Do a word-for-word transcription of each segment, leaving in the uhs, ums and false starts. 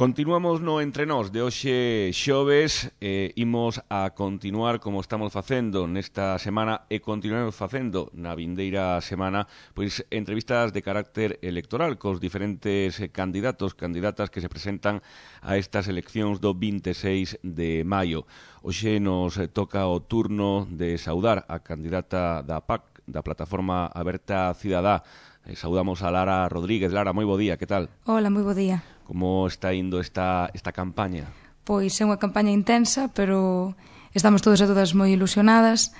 Continuamos no Entre Nós de hoxe xoves, eh, imos a continuar como estamos facendo nesta semana e continuamos facendo na vindeira semana, pois entrevistas de carácter electoral cos diferentes candidatos, candidatas que se presentan a estas eleccións do vinte e seis de maio. Hoxe nos toca o turno de saudar a candidata da P A C, da Plataforma Aberta Cidadá. Eh, saudamos a Lara Rodríguez. Lara, moi bo día, que tal? Hola, moi bo día. Como está indo esta, esta campaña? Pois é unha campaña intensa, pero estamos todos e todas moi ilusionadas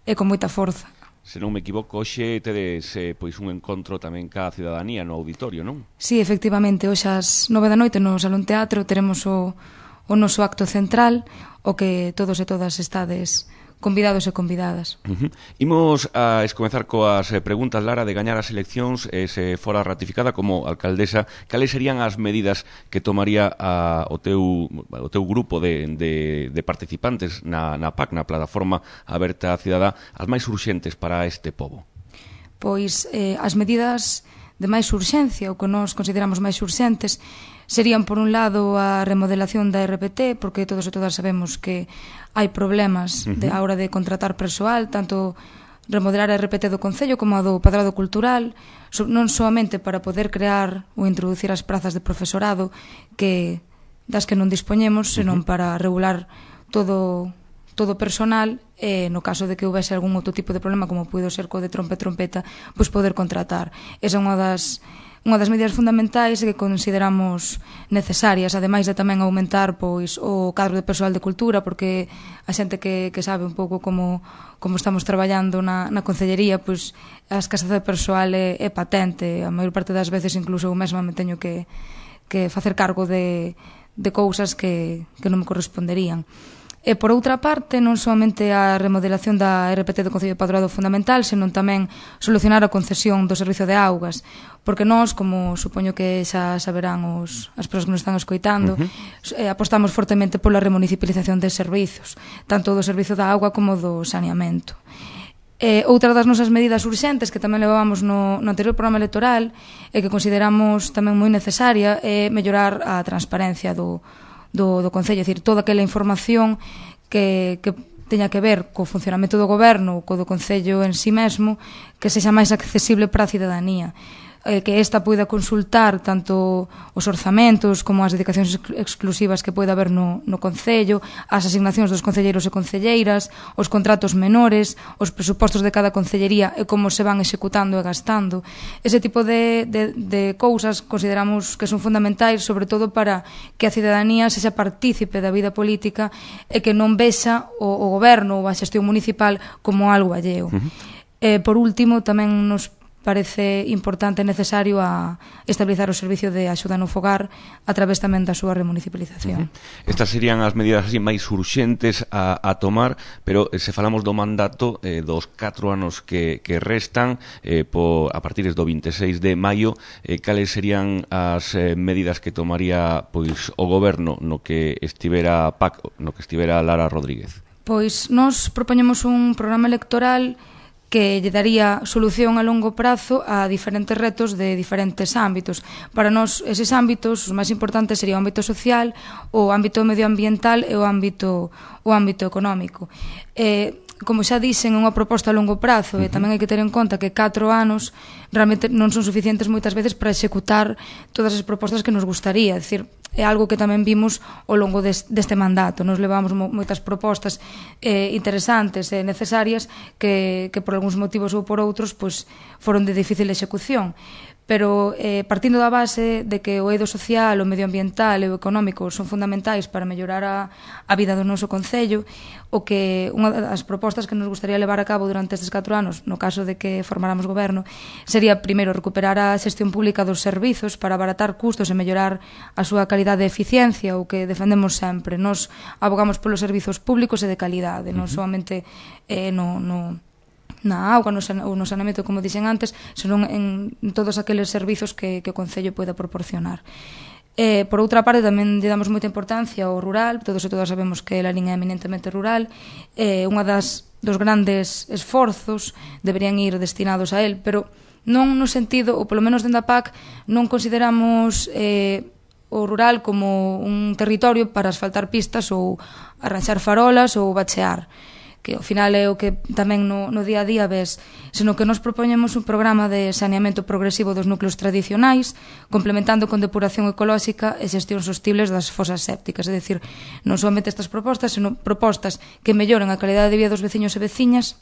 e con moita forza. Se non me equivoco, hoxe tedes eh, pois un encontro tamén ca cidadanía no auditorio, non? Sí, efectivamente, hoxe ás nove da noite no Salón Teatro teremos o, o noso acto central, o que todos e todas estades convidados e convidadas. Uh -huh. Imos a escomezar coas eh, preguntas, Lara, de gañar as eleccións e eh, se fora ratificada como alcaldesa, cales serían as medidas que tomaría a, o, teu, o teu grupo de, de, de participantes na, na P A C, na Plataforma Aberta Cidadá, as máis urxentes para este pobo? Pois eh, as medidas de máis urxencia, o que nós consideramos máis urxentes, serían, por un lado, a remodelación da R P T, porque todos e todas sabemos que hai problemas uh -huh. de, a hora de contratar persoal, tanto remodelar a R P T do Concello como a do Padrado Cultural, so, non soamente para poder crear ou introducir as prazas de profesorado que das que non dispoñemos, senón uh -huh. para regular todo todo personal e no caso de que houvese algún outro tipo de problema como puido ser co de trompe trompeta, pois poder contratar. Esa é unha das unha das medidas fundamentais que consideramos necesarias, ademais de tamén aumentar pois o cadro de persoal de cultura, porque a xente que, que sabe un pouco como, como estamos traballando na, na concellería, pois a escasez de persoal é, é patente. A maior parte das veces incluso eu mesma me teño que, que facer cargo de, de cousas que, que non me corresponderían. E, por outra parte, non somente a remodelación da R P T do Concello de Padrado fundamental, senón tamén solucionar a concesión do servizo de augas, porque nós, como supoño que xa saberán os, as persoas que nos están escoitando, uh -huh. eh, apostamos fortemente pola remunicipalización de servizos, tanto do servizo da auga como do saneamento. Eh, outra das nosas medidas urxentes que tamén levábamos no, no anterior programa electoral e que consideramos tamén moi necesaria é mellorar a transparencia do do, do Concello, é dicir, toda aquela información que, que teña que ver co funcionamento do goberno ou co do Concello en si mesmo, que sexa máis accesible para a cidadanía, eh, que esta poida consultar tanto os orzamentos como as dedicacións ex exclusivas que poida haber no, no Concello, as asignacións dos concelleiros e concelleiras, os contratos menores, os presupostos de cada concellería e como se van executando e gastando. Ese tipo de, de, de cousas consideramos que son fundamentais, sobre todo para que a cidadanía sexa partícipe da vida política e que non vexa o, o goberno ou a xestión municipal como algo alleo. Uh -huh. eh, por último, tamén nos parece importante e necesario a estabilizar o servicio de axuda no fogar a través tamén da súa remunicipalización. Uh-huh. Estas serían as medidas así máis urxentes a, a tomar, pero eh, se falamos do mandato eh, dos catro anos que, que restan eh, po, a partir do vinte e seis de maio, eh, cales serían as eh, medidas que tomaría pois o goberno no que estivera P A C, no que estivera Lara Rodríguez? Pois nós propoñemos un programa electoral que lle daría solución a longo prazo a diferentes retos de diferentes ámbitos. Para nós, eses ámbitos, os máis importantes sería o ámbito social, o ámbito medioambiental e o ámbito, o ámbito económico. Eh, como xa dixen, é unha proposta a longo prazo e tamén hai que ter en conta que catro anos realmente non son suficientes moitas veces para executar todas as propostas que nos gustaría. É dicir, é algo que tamén vimos ao longo des, deste mandato. Nos levamos mo, moitas propostas eh, interesantes e necesarias que, que por algúns motivos ou por outros pues, foron de difícil execución. Pero eh, partindo da base de que o eido social, o medioambiental e o económico son fundamentais para mellorar a, a vida do noso Concello, o que unha das propostas que nos gustaría levar a cabo durante estes catro anos, no caso de que formáramos goberno, sería primeiro recuperar a xestión pública dos servizos para abaratar custos e mellorar a súa calidade e eficiencia, o que defendemos sempre. Nos abogamos polos servizos públicos e de calidade, non somente eh, no... no na auga ou no saneamento, como dixen antes, senón en todos aqueles servizos que, que o Concello poida proporcionar. Eh, por outra parte, tamén lle damos moita importancia ao rural, todos e todas sabemos que a liña é eminentemente rural, eh, unha das dos grandes esforzos deberían ir destinados a él, pero non no sentido, ou polo menos dentro da P A C, non consideramos eh, o rural como un territorio para asfaltar pistas ou arranxar farolas ou bachear, que ao final é o que tamén no, no día a día ves, senón que nos propoñemos un programa de saneamento progresivo dos núcleos tradicionais, complementando con depuración ecolóxica e xestión sostibles das fosas sépticas, é dicir, non somente estas propostas, senón propostas que melloren a calidade de vida dos veciños e veciñas,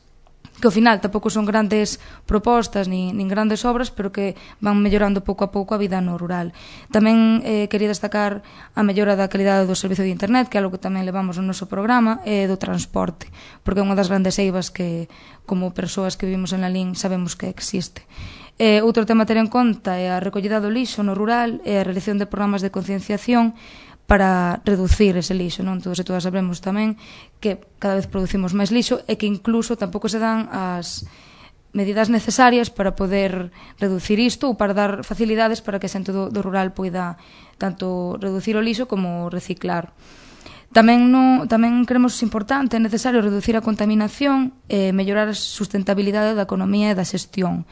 que ao final tampouco son grandes propostas nin, nin grandes obras, pero que van mellorando pouco a pouco a vida no rural. Tamén eh, quería destacar a mellora da calidade do servicio de internet, que é algo que tamén levamos no noso programa, e do transporte, porque é unha das grandes eivas que, como persoas que vivimos en Lalín, sabemos que existe. Eh, outro tema a ter en conta é a recollida do lixo no rural e a realización de programas de concienciación para reducir ese lixo, non? Todos e todas sabemos tamén que cada vez producimos máis lixo e que incluso tampouco se dan as medidas necesarias para poder reducir isto ou para dar facilidades para que a xente do, do rural poida tanto reducir o lixo como reciclar. Tamén, no, tamén creemos importante e necesario reducir a contaminación e mellorar a sustentabilidade da economía e da xestión.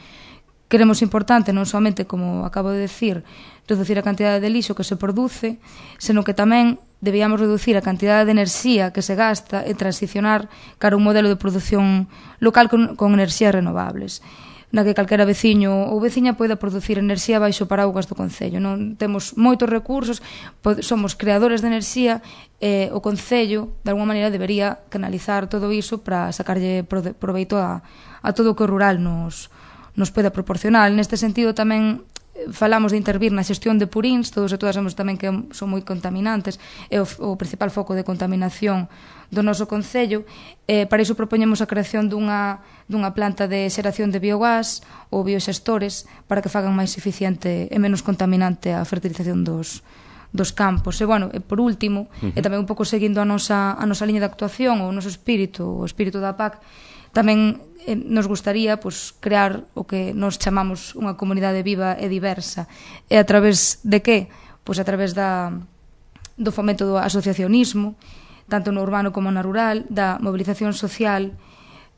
Queremos importante non somente, como acabo de decir, reducir a cantidade de lixo que se produce, senón que tamén debíamos reducir a cantidade de enerxía que se gasta e transicionar cara a un modelo de produción local con, con enerxías renovables, na que calquera veciño ou veciña poida producir enerxía baixo paraugas do Concello. Non temos moitos recursos, somos creadores de enerxía e o Concello, de alguma maneira, debería canalizar todo iso para sacarlle proveito a, a todo o que o rural nos nos pode proporcionar. Neste sentido tamén falamos de intervir na xestión de purins, todos e todas sabemos tamén que son moi contaminantes, é o, o principal foco de contaminación do noso Concello. Eh, para iso propoñemos a creación dunha, dunha planta de xeración de biogás ou bioxestores para que fagan máis eficiente e menos contaminante a fertilización dos, dos campos. E, bueno, e por último, uh-huh. e tamén un pouco seguindo a nosa, a nosa liña de actuación ou o noso espírito, o espírito da P A C, tamén eh, nos gustaría pues, crear o que nos chamamos unha comunidade viva e diversa. E a través de que? Pois a través da, do fomento do asociacionismo, tanto no urbano como no rural, da movilización social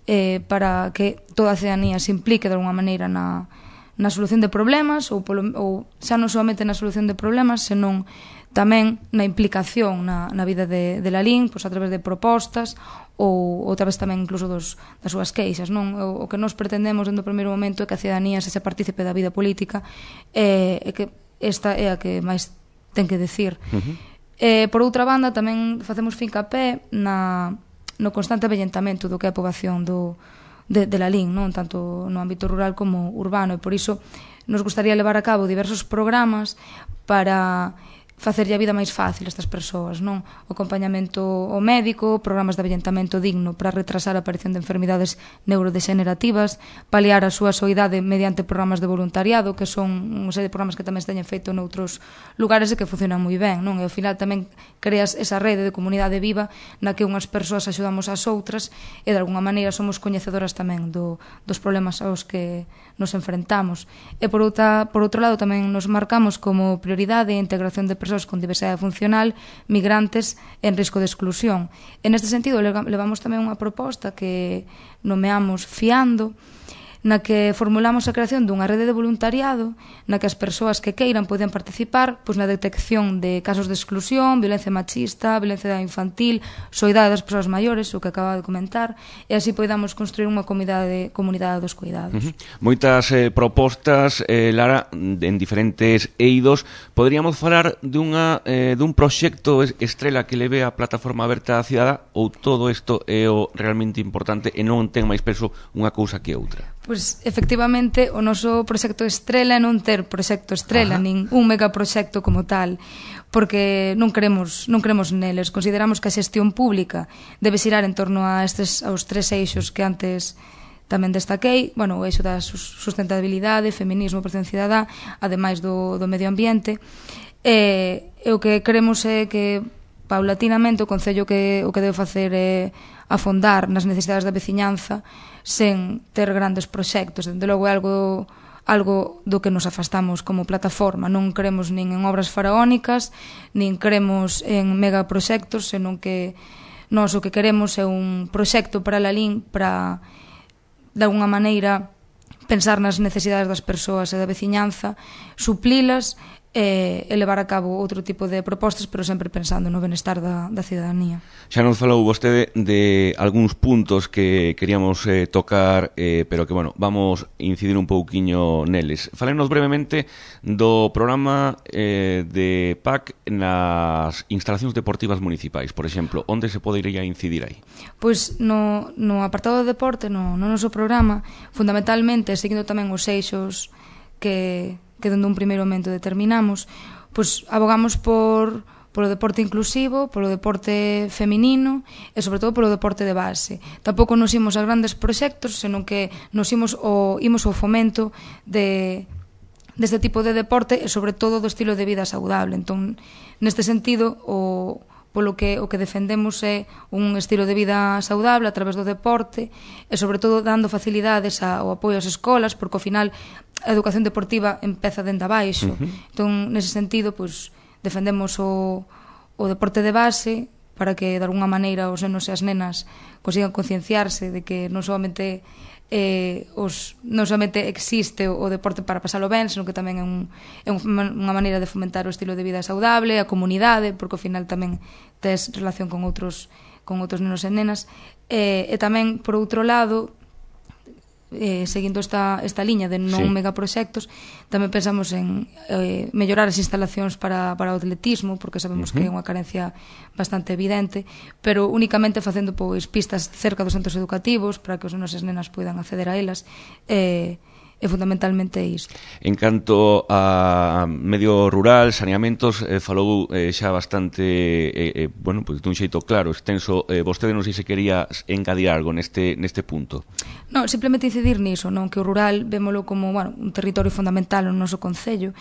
eh, para que toda a ciudadanía se implique de alguma maneira na, na solución de problemas ou, polo, ou xa non somente na solución de problemas, senón tamén na implicación na, na vida de, de Lalín, pois a través de propostas ou, ou a través tamén incluso dos, das súas queixas, non? O, o que nos pretendemos dentro do primeiro momento é que a ciudadanía se partícipe da vida política e, e que esta é a que máis ten que decir. Uh-huh. E, por outra banda, tamén facemos fincapé na, no constante avellentamento do que é a poboación do, de, de Lalín, non? Tanto no ámbito rural como urbano, e por iso nos gustaría levar a cabo diversos programas para facerlle a vida máis fácil a estas persoas, non? O acompañamento ao médico, programas de avellentamento digno para retrasar a aparición de enfermidades neurodegenerativas, paliar a súa soidade mediante programas de voluntariado, que son unha serie de programas que tamén se teñen feito noutros lugares e que funcionan moi ben, non? E ao final tamén creas esa rede de comunidade viva na que unhas persoas axudamos ás outras e de alguna maneira somos coñecedoras tamén do, dos problemas aos que nos enfrentamos. E por, outra, por outro lado tamén nos marcamos como prioridade a integración de persoas con diversidade funcional, migrantes en risco de exclusión. En este sentido, levamos tamén unha proposta que nomeamos Fiando, na que formulamos a creación dunha rede de voluntariado na que as persoas que queiran poden participar pois, na detección de casos de exclusión, violencia machista, violencia infantil, soidade das persoas maiores, o que acaba de comentar, e así podamos construir unha comunidade, comunidade dos cuidados. Uh-huh. Moitas eh, propostas, eh, Lara, en diferentes eidos. Poderíamos falar dunha, eh, dun proxecto estrela que leve a plataforma aberta á cidadá, ou todo isto é o realmente importante e non ten máis peso unha cousa que outra? Pois, efectivamente, o noso proxecto estrela é non ter proxecto estrela, Ajá. nin un megaproxecto como tal, porque non queremos, non queremos neles. Consideramos que a xestión pública debe xirar en torno a estes, aos tres eixos que antes tamén destaquei, bueno, o eixo da sustentabilidade, feminismo, protección cidadá, ademais do, do medio ambiente, e, e o que queremos é que paulatinamente o Concello que, o que debe facer é afondar nas necesidades da veciñanza sen ter grandes proxectos. Dende logo é algo, algo do que nos afastamos como plataforma. Non queremos nin en obras faraónicas, nin queremos en megaproxectos, senón que nós o que queremos é un proxecto para Lalín para, de alguna maneira, pensar nas necesidades das persoas e da veciñanza, suplilas e, e levar a cabo outro tipo de propostas, pero sempre pensando no benestar da, da cidadanía. Xa nos falou vostede de algúns puntos que queríamos eh, tocar, eh, pero que, bueno, vamos incidir un pouquiño neles. Fálenos brevemente do programa eh, de P A C nas instalacións deportivas municipais, por exemplo, onde se podería incidir aí? Pois no, no apartado de deporte, no, no noso programa, fundamentalmente, seguindo tamén os eixos que... que dende un primeiro momento determinamos, pois abogamos por polo deporte inclusivo, polo deporte feminino e sobre todo polo deporte de base. Tampouco nos imos a grandes proxectos, senón que nos imos o imos ao fomento de deste tipo de deporte e sobre todo do estilo de vida saudable. Entón, neste sentido, o polo que o que defendemos é un estilo de vida saudable a través do deporte e sobre todo dando facilidades ao apoio ás escolas, porque ao final a educación deportiva empeza dende abaixo. Uh-huh. Entón, nese sentido, pois, defendemos o, o deporte de base para que, de alguna maneira, os nenos e as nenas consigan concienciarse de que non solamente eh, os, non solamente existe o, o deporte para pasalo ben, senón que tamén é, un, é unha maneira de fomentar o estilo de vida saudable, a comunidade, porque ao final tamén tes relación con outros, con outros nenos e nenas. E, e tamén, por outro lado, eh, seguindo esta, esta liña de non sí. megaproxectos, tamén pensamos en eh, mellorar as instalacións para, para o atletismo, porque sabemos uh-huh. que é unha carencia bastante evidente, pero únicamente facendo pois, pistas cerca dos centros educativos para que os nenos e as nenas poidan acceder a elas, e eh, é fundamentalmente isto. En canto a medio rural, saneamentos, eh, falou eh, xa bastante, eh, eh, bueno, pues, dun xeito claro, extenso. Eh, vostede non sei se quería engadir algo neste, neste punto. Non, simplemente incidir niso, non, que o rural vémolo como, bueno, un territorio fundamental no noso concello,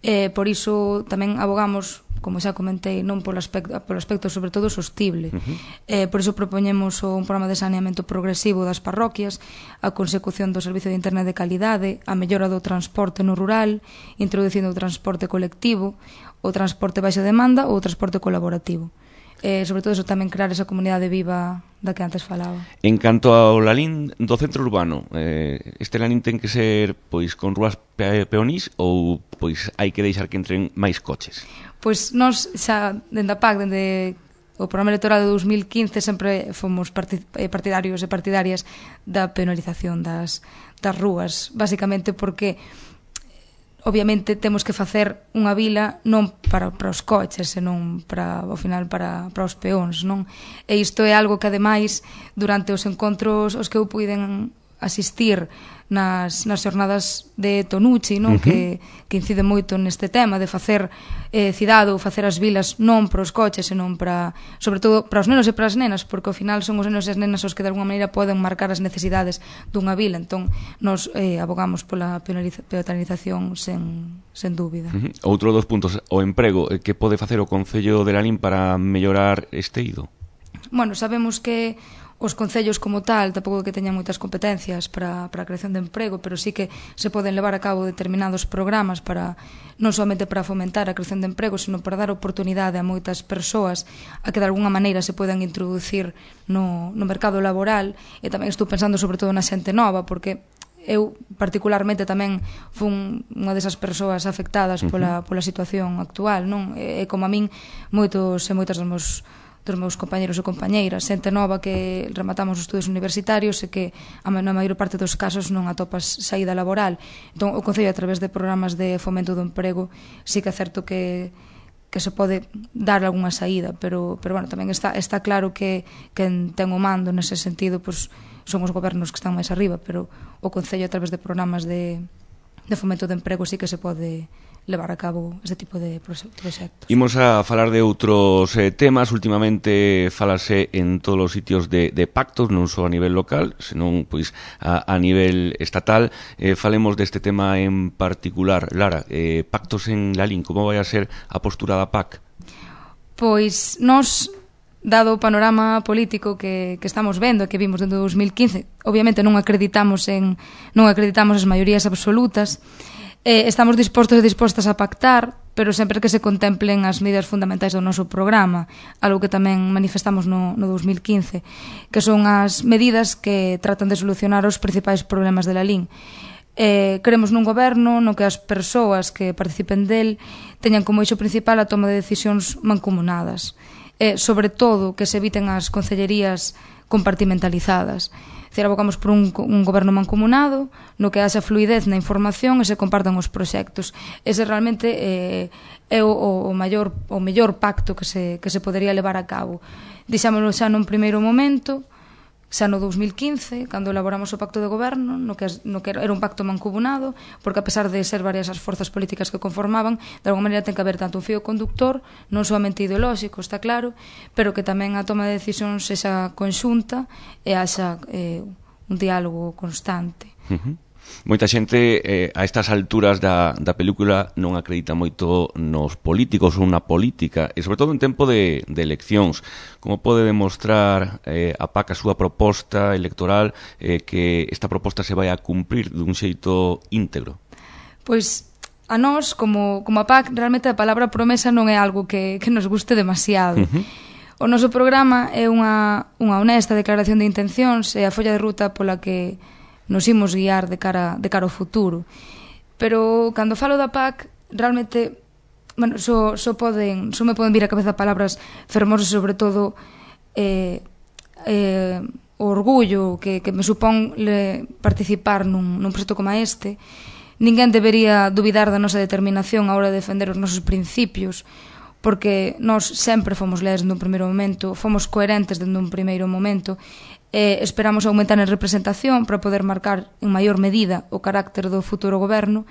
eh, por iso tamén abogamos, como xa comentei, non polo aspecto, polo aspecto sobre todo sostible. Uh-huh. Eh, por iso propoñemos un programa de saneamento progresivo das parroquias, a consecución do servicio de internet de calidade, a mellora do transporte no rural, introducindo o transporte colectivo, o transporte baixa demanda ou o transporte colaborativo. Eh, sobre todo eso, tamén crear esa comunidade viva da que antes falaba. En canto ao Lalín do centro urbano, eh, este Lalín ten que ser pois con rúas pe peonís ou pois hai que deixar que entren máis coches? Pois nós xa dende a P A C, dende o programa electoral de dos mil quince, sempre fomos partidarios e partidarias da penalización das, das rúas, basicamente porque obviamente temos que facer unha vila non para, para os coches, senón para, ao final para, para os peóns, non? E isto é algo que ademais durante os encontros os que eu puiden asistir nas, nas xornadas de Tonucci, non? Uh-huh. que, que incide moito neste tema de facer eh, cidade ou facer as vilas non para os coches, senón para, sobre todo para os nenos e para as nenas, porque ao final son os nenos e as nenas os que de alguma maneira poden marcar as necesidades dunha vila. Entón nos eh, abogamos pola penalización sen, sen dúbida. Uh-huh. Outro dos puntos, o emprego, que pode facer o Concello de Lalín para mellorar este eido? Bueno, sabemos que os concellos como tal tampouco que teñan moitas competencias para, para a creación de emprego, pero sí que se poden levar a cabo determinados programas para non somente para fomentar a creación de emprego, sino para dar oportunidade a moitas persoas a que de alguna maneira se podan introducir no, no mercado laboral. E tamén estou pensando sobre todo na xente nova, porque eu particularmente tamén fun unha desas persoas afectadas pola, pola situación actual, non? E, e como a min moitos e moitas dos meus dos meus compañeros e compañeiras, xente nova que rematamos os estudos universitarios e que na maior parte dos casos non atopas saída laboral. Entón, o Concello, a través de programas de fomento do emprego, sí que é certo que que se pode dar algunha saída, pero, pero bueno, tamén está, está claro que quen ten o mando nese sentido pois, son os gobernos que están máis arriba, pero o Concello, a través de programas de, de fomento de emprego, sí que se pode levar a cabo este tipo de proxectos. Imos a falar de outros eh, temas. Últimamente falase en todos os sitios de, de pactos, non só a nivel local, senón pois a, a nivel estatal. Eh, falemos deste tema en particular. Lara, eh, pactos en Lalín, como vai a ser a postura da P A C? Pois nós, dado o panorama político que, que estamos vendo, que vimos dentro do dos mil quince, obviamente non acreditamos en non acreditamos as maiorías absolutas. Eh, estamos dispostos e dispostas a pactar, pero sempre que se contemplen as medidas fundamentais do noso programa, algo que tamén manifestamos no, no dos mil quince, que son as medidas que tratan de solucionar os principais problemas de Lalín. Eh, queremos nun goberno no que as persoas que participen del teñan como eixo principal a toma de decisións mancomunadas. Eh, sobre todo, que se eviten as concellerías compartimentalizadas. Decir, abocamos por un, un goberno mancomunado no que haxa fluidez na información e se compartan os proxectos. Ese realmente eh, é o, o, maior, o mellor pacto que se, que se podería levar a cabo. Dixámoslo xa nun primeiro momento, xa no dous mil quince, cando elaboramos o pacto de goberno, no que, no que era un pacto mancomunado, porque a pesar de ser varias as forzas políticas que conformaban, de alguma maneira ten que haber tanto un fío conductor, non somente ideolóxico, está claro, pero que tamén a toma de decisións sexa conxunta e haxa eh, un diálogo constante. Uh-huh. Moita xente eh, a estas alturas da, da película non acredita moito nos políticos ou na política, e sobre todo en tempo de, de eleccións. Como pode demostrar eh, a P A C a súa proposta electoral eh, que esta proposta se vai a cumprir dun xeito íntegro? Pois a nós, como, como a P A C, realmente a palabra promesa non é algo que, que nos guste demasiado. Uh-huh. O noso programa é unha, unha honesta declaración de intencións e a folla de ruta pola que nos imos guiar de cara, de cara ao futuro. Pero cando falo da P A C, realmente, bueno, só, só, poden, só me poden vir a cabeza palabras fermosas, sobre todo eh, eh, o orgullo que, que me supón le, participar nun, nun proxecto como este. Ninguén debería dubidar da nosa determinación a hora de defender os nosos principios, porque nós sempre fomos leais dende un primeiro momento, fomos coherentes dende un primeiro momento, e esperamos aumentar en representación para poder marcar en maior medida o carácter do futuro goberno,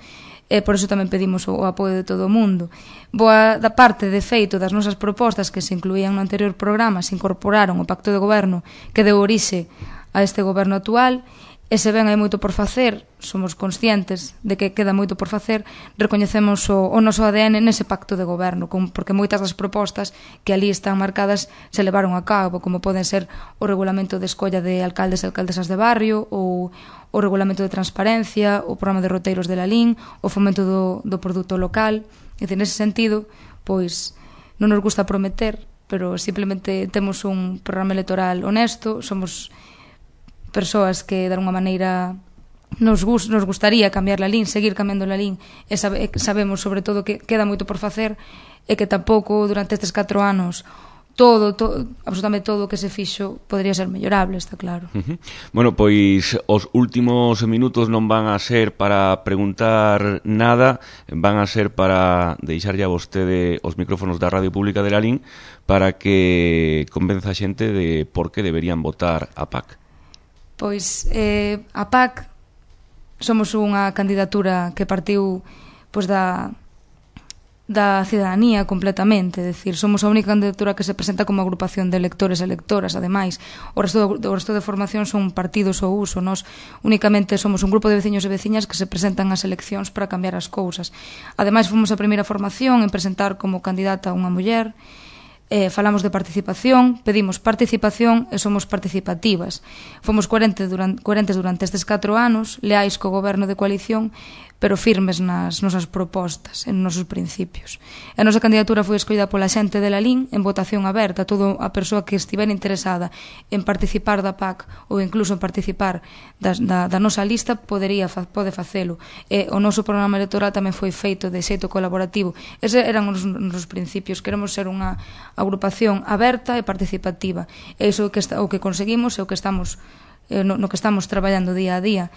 e por iso tamén pedimos o apoio de todo o mundo. Boa da parte, de feito, das nosas propostas que se incluían no anterior programa, se incorporaron ao pacto de goberno que deu orixe a este goberno actual. E se ben hai moito por facer, somos conscientes de que queda moito por facer, recoñecemos o, o noso A D N nese pacto de goberno, porque moitas das propostas que ali están marcadas se levaron a cabo, como poden ser o regulamento de escolla de alcaldes e alcaldesas de barrio, ou o regulamento de transparencia, o programa de roteiros de Lalín, o fomento do, do produto local. E nese sentido, pois, non nos gusta prometer, pero simplemente temos un programa electoral honesto, somos persoas que, de alguma maneira, nos, gust, nos gustaría cambiar Lalín, seguir cambiando Lalín, e sabe, sabemos, sobre todo, que queda moito por facer e que tampouco, durante estes catro anos, todo, todo, absolutamente todo o que se fixo podría ser mellorable, está claro. Uh-huh. Bueno, pois os últimos minutos non van a ser para preguntar nada, van a ser para deixarlle a vostede os micrófonos da Radio Pública de Lalín para que convenza a xente de por que deberían votar a P A C. Pois eh, a P A C somos unha candidatura que partiu pois, da, da cidadanía completamente, é dicir, somos a única candidatura que se presenta como agrupación de electores e electoras. Ademais, o resto, do, o resto de formación son partidos ou uso. Nós únicamente somos un grupo de veciños e veciñas que se presentan ás eleccións para cambiar as cousas. Ademais, fomos a primeira formación en presentar como candidata unha muller. Eh, falamos de participación, pedimos participación e somos participativas. Fomos coherentes durante, coherentes durante estes catro anos, leais co goberno de coalición, pero firmes nas nosas propostas, en nosos principios. A nosa candidatura foi escollida pola xente de Lalín en votación aberta. Todo a persoa que estivera interesada en participar da P A C ou incluso en participar das, da, da nosa lista podería, pode facelo. E o noso programa electoral tamén foi feito de xeito colaborativo. Eses eran os nosos principios. Queremos ser unha agrupación aberta e participativa. E iso que está, o que conseguimos e o que estamos no, no que estamos traballando día a día.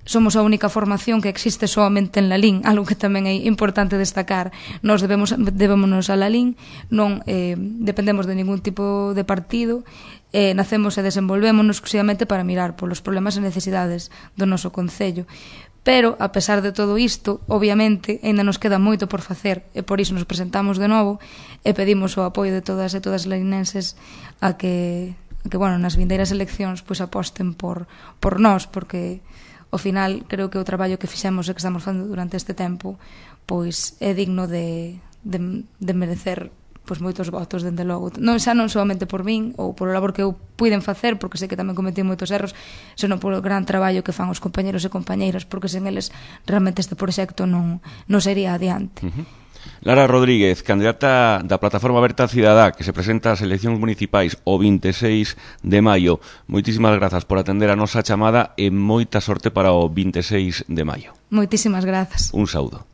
Somos a única formación que existe soamente en Lalín, algo que tamén é importante destacar. Nós debemos, debémonos a Lalín, non eh, dependemos de ningún tipo de partido, eh, nacemos e desenvolvémonos exclusivamente para mirar polos problemas e necesidades do noso concello. Pero, a pesar de todo isto, obviamente, ainda nos queda moito por facer, e por iso nos presentamos de novo e pedimos o apoio de todas e todas as lalinenses a que, a que bueno, nas vindeiras eleccións pois aposten por, por nós, porque ao final creo que o traballo que fixemos e que estamos facendo durante este tempo pois é digno de, de, de merecer pois moitos votos, dende logo. Non xa non solamente por min ou polo labor que eu puiden facer, porque sei que tamén cometí moitos erros, senón polo gran traballo que fan os compañeros e compañeiras, porque sen eles realmente este proxecto non, non sería adiante. Uh-huh. Lara Rodríguez, candidata da Plataforma Aberta Cidadá, que se presenta ás eleccións municipais o vinte e seis de maio. Moitísimas grazas por atender a nosa chamada e moita sorte para o vinte e seis de maio. Moitísimas grazas. Un saúdo.